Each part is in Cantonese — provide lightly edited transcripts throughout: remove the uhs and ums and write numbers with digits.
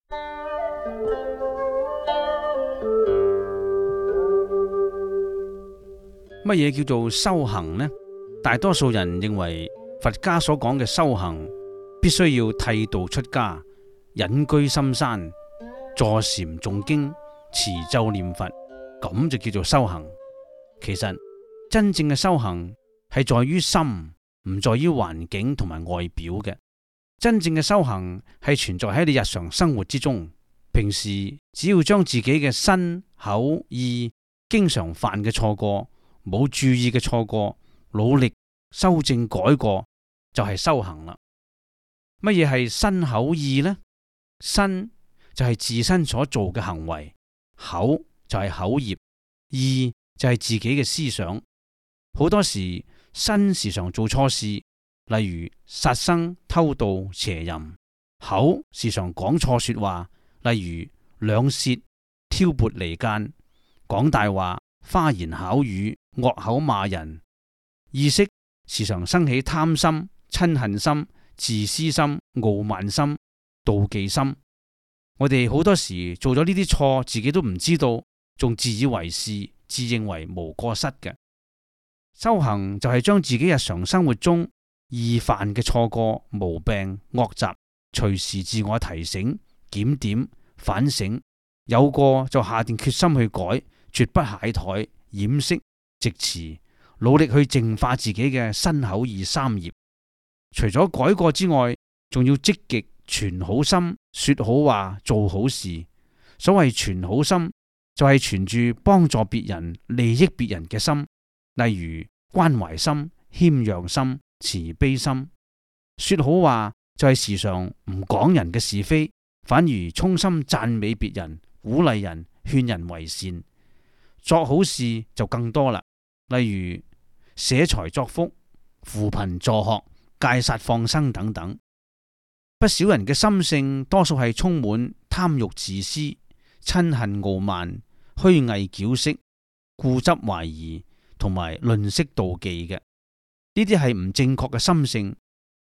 乜嘢叫做修行呢？大多數人認為佛家所講嘅修行，必須要剃度出家，隱居深山，坐禪誦經，持咒念佛，咁就叫做修行。其實真正嘅修行係在於心，唔在於環境同埋外表嘅。真正嘅修行係存在喺你日常生活之中。平時只要將自己嘅身口意經常犯嘅錯過，冇注意嘅錯過，努力修正改過，就係修行啦。乜嘢係身口意呢？身就係自身所做嘅行為，口就係口業，意就係自己嘅思想。好多時身時常做錯事，例如殺生、偷盜、邪淫；口時常講錯說話，例如兩舌、挑撥離間、講大話、花言巧語、惡口罵人；意識時常生起貪心、嗔恨心、自私心、傲慢心、妒忌心。我哋好多時做咗呢啲錯，自己都唔知道，仲自以為是，自認為無過失嘅。修行就係將自己日常生活中易犯嘅錯過、毛病、惡習，隨時自我提醒、檢點、反省，有過就下定決心去改，絕不懈怠、掩飾、直辭，努力去淨化自己嘅身口意三業。除咗改過之外，仲要積極存好心，說好話，做好事。所謂存好心，就係存住幫助別人、利益別人嘅心，例如關懷心、謙讓心、慈悲心。說好話就係時常唔講人嘅是非，反而衷心讚美別人、鼓勵人、勸人為善。作好事就更多啦，例如捨財作福、扶貧助學、戒殺放生等等。不少人嘅心性多數係充滿貪欲自私、嗔恨傲慢、虛偽矯飾、固執懷疑同埋吝嗇妒忌嘅，呢啲係唔正確嘅心性。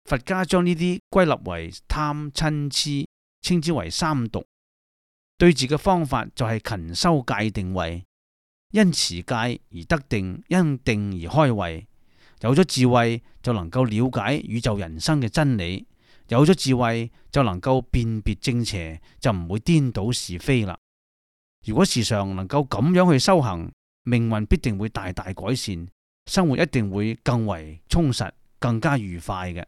佛家將呢啲歸納為貪嗔癡，稱之為三毒。對治嘅方法就係勤修戒定慧，因持戒而得定，因定而開慧。有咗智慧就能夠了解宇宙人生嘅真理，有咗智慧就能夠辨別正邪，就唔會顛倒是非啦。如果時常能夠咁樣去修行，命運必定會大大改善，生活一定會更為充實，更加愉快嘅。